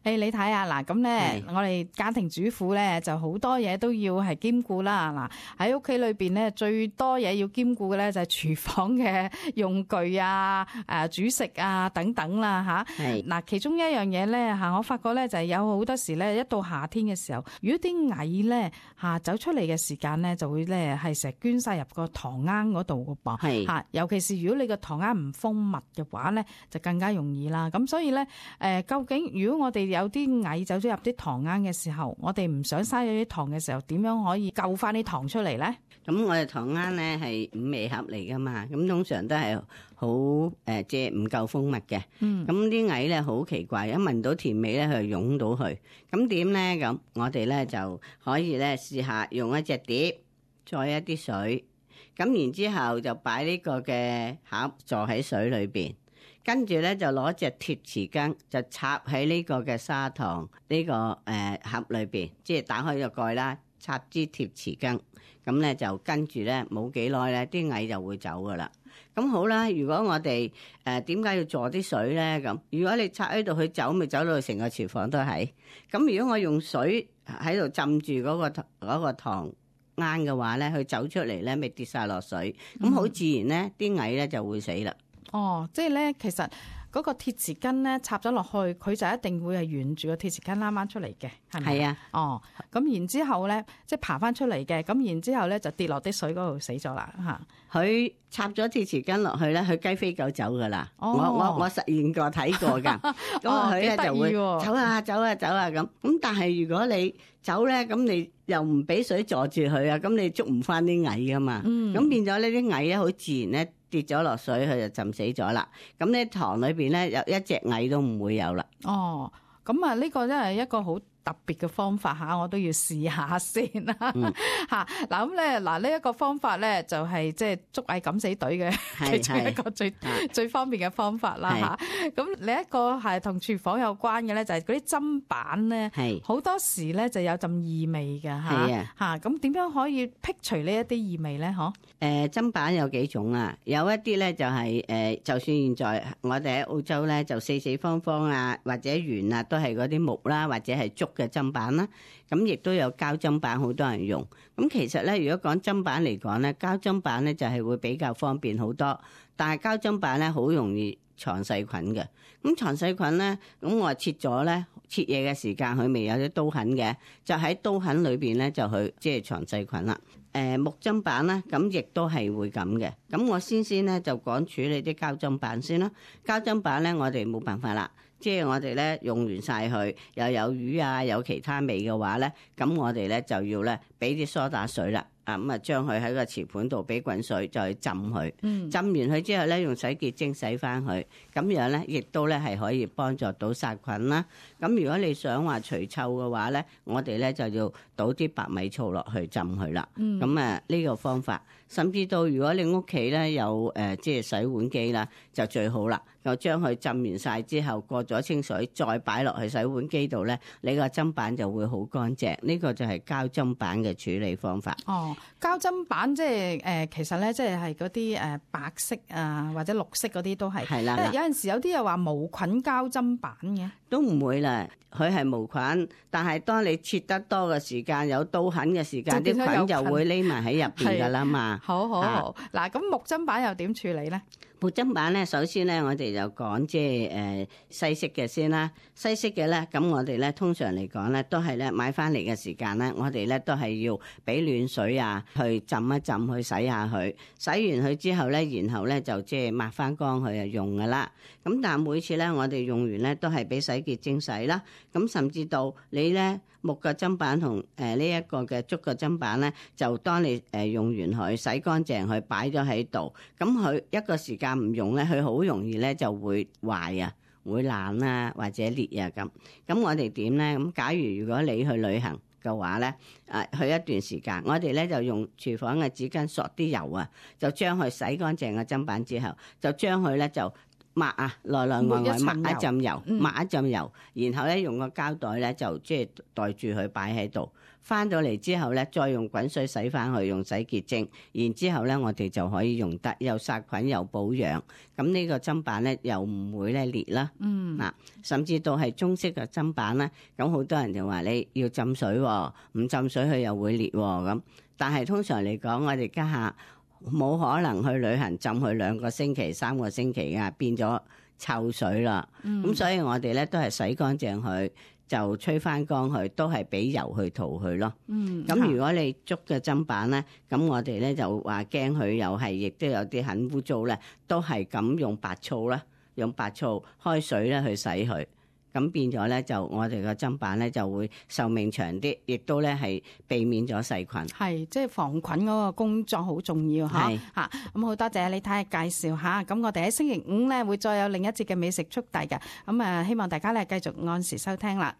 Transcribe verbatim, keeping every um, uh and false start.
誒，你睇下嗱，咁咧，我哋家庭主婦咧就好多嘢都要係兼顧啦。嗱，喺屋企裏邊咧，最多嘢要兼顧嘅咧就係廚房嘅用具啊、誒煮食啊等等啦嚇。係嗱，其中一樣嘢咧嚇，我發覺咧就係有好多時咧，一到夏天嘅時候，如果啲蟻咧嚇走出嚟嘅時間咧，就會咧係成日捐晒入個塘罌嗰度嘅噃。係嚇，尤其是如果你個塘罌唔封密嘅話咧，就更加容易啦。咁所以咧誒，究竟如果我哋有啲蟻走咗入啲塘罌嘅時候，我哋唔想嘥咗啲糖嘅時候，點樣可以救翻啲糖出嚟咧？咁我哋塘罌咧係五味盒嚟噶嘛，咁通常都係好誒，即係唔夠封密嘅。嗯，咁啲蟻咧好奇怪，一聞到甜味咧，佢就湧到去。咁點咧？咁我哋咧就可以咧試下用一隻碟，載一啲水，咁然之後就擺呢個嘅盒坐喺水裏邊。跟住咧就攞隻鐵匙羹就插喺呢個嘅砂糖呢、這個誒、呃、盒裏邊，即係打開個蓋啦，插支鐵匙羹，咁咧就跟住咧冇幾耐咧啲蟻就會走噶啦。咁好啦，如果我哋誒點解要坐啲水咧？咁如果你插喺度佢走，咪走到成個廚房都係。咁如果我用水喺度浸住嗰、那個嗰、那個糖罌嘅話咧，佢走出嚟咧咪跌晒落水，咁好自然咧啲蟻咧就會死啦。哦，即係咧，其實嗰個鐵匙羹咧插咗落去，佢就一定會係沿住個鐵匙羹拉翻出嚟嘅，係咪？係啊。哦，咁然之後咧，即係爬翻出嚟嘅，咁然之後咧就跌落啲水嗰度死咗啦，嚇。佢插咗鐵匙羹落去咧，佢雞飛狗走噶啦。哦、我我我實驗過睇過㗎，咁佢咧就會走啊走啊走啊咁。咁但係如果你走咧，咁你又唔俾水阻住佢啊，咁你捉唔翻啲蟻噶嘛。嗯。咁變咗呢啲蟻咧，好自然咧。跌咗落水，佢就浸死咗啦。咁呢塘裏邊咧，有一隻蟻都唔會有啦。哦，咁啊，呢個真係一個好特別嘅方法嚇，我都要試下先啦嚇。嗱咁咧，嗱呢一個方法咧就係即係捉蟻敢死隊嘅其中一個最最方便嘅方法啦嚇。咁另一個係同廚房有關嘅咧，就係嗰啲砧板咧，好多時咧就有陣異味嘅嚇嚇。咁點樣可以辟除呢一啲異味咧？嗬？誒砧板有幾種啊？有一啲咧就係、是、誒、呃，就算現在我哋喺澳洲咧，就四四方方啊，或者圓啊，都係嗰啲木啦，或者係竹嘅砧板啦。咁亦都有膠砧板，好多人用。咁其實咧，如果講砧板嚟講咧，膠砧板咧就係會比較方便好多，但係膠砧板咧好容易藏細菌嘅。咁藏細菌咧，咁我切咗咧，切嘢嘅時間佢未有啲刀痕嘅，就喺刀痕裏邊咧就去即係藏細菌啦。誒、呃、木砧板咧，咁亦都係會咁嘅。咁我先先咧就講處理啲膠砧板先啦。膠砧板咧，我哋冇辦法啦，即係我哋咧用完晒佢，又有魚啊，有其他味嘅話咧，咁我哋咧就要咧俾啲梳打水啦。啊咁啊，將佢喺個瓷盤度俾滾水，再去浸佢。嗯，浸完佢之後咧，用洗潔精洗翻佢，咁樣咧，亦都咧係可以幫助到殺菌啦。咁如果你想話除臭嘅話咧，我哋咧就要倒啲白米醋落去浸佢啦。嗯，咁啊呢個方法，甚至到如果你屋企咧有誒即係洗碗機啦，就最好啦。就將佢浸完晒之後，過咗清水，再擺落去洗碗機度咧，你個砧板就會好乾淨。呢個就係膠砧板嘅處理方法。哦，膠砧板即係誒，其實咧即係係嗰啲誒白色啊或者綠色嗰啲都係。係啦。有陣時有啲又話無菌膠砧板嘅，都唔會啦。佢係無菌，但係當你切得多嘅時間，有刀痕嘅時間，啲菌就會匿埋喺入邊噶啦嘛。好好好，嗱咁木砧板又點處理咧？木砧板咧，首先咧，我哋就講即係誒西式嘅先啦。西式嘅咧，咁我哋咧通常嚟講咧，都係咧買翻嚟嘅時間咧，我哋咧都係要俾暖水啊，去浸一浸，去洗下佢。洗完佢之後咧，然後咧就即係抹翻乾佢就用噶啦。咁但係每次咧，我哋用完咧都係俾洗潔精洗啦。咁甚至到你咧木嘅砧板同誒呢一個嘅竹嘅砧板咧，就當你誒用完佢洗乾淨佢擺咗喺度，咁佢一個時間唔用咧，佢好容易咧就會壞啊，會爛啊或者裂啊咁。咁我哋點咧？咁假如如果你去旅行嘅話咧，誒去一段時間，我哋咧就用廚房嘅紙巾索啲油啊，就將佢洗乾淨嘅砧板之後，就將佢咧就抹啊，內內外外抹一浸油，嗯抹一浸油，然後咧用個膠袋咧就即係袋住佢擺喺度。翻到嚟之後咧，再用滾水洗翻去，用洗潔精，然之後咧我哋就可以用得，又殺菌又保養。咁呢個砧板咧又唔會咧裂啦。嗯，嗱，甚至到係中式嘅砧板咧，咁好多人就話你要浸水喎，唔浸水佢又會裂喎咁。但係通常嚟講，我哋家下冇可能去旅行浸佢兩個星期、三個星期啊，變咗臭水啦。咁、嗯、所以我哋咧都係洗乾淨佢，就吹翻乾佢，都係俾油去塗佢咯。嗯，咁如果你竹嘅砧板咧，咁我哋咧就話驚佢又係，亦都有啲很污糟咧，都係咁用白醋啦，用白醋開水咧去洗佢。咁變咗咧，就我哋個砧板咧就會壽命長啲，亦都咧係避免咗細菌。係，即係防菌嗰個工作好重要嚇係嚇。咁好多謝李太介紹嚇。咁我哋喺星期五咧會再有另一節嘅美食速遞嘅。咁啊，希望大家咧繼續按時收聽啦。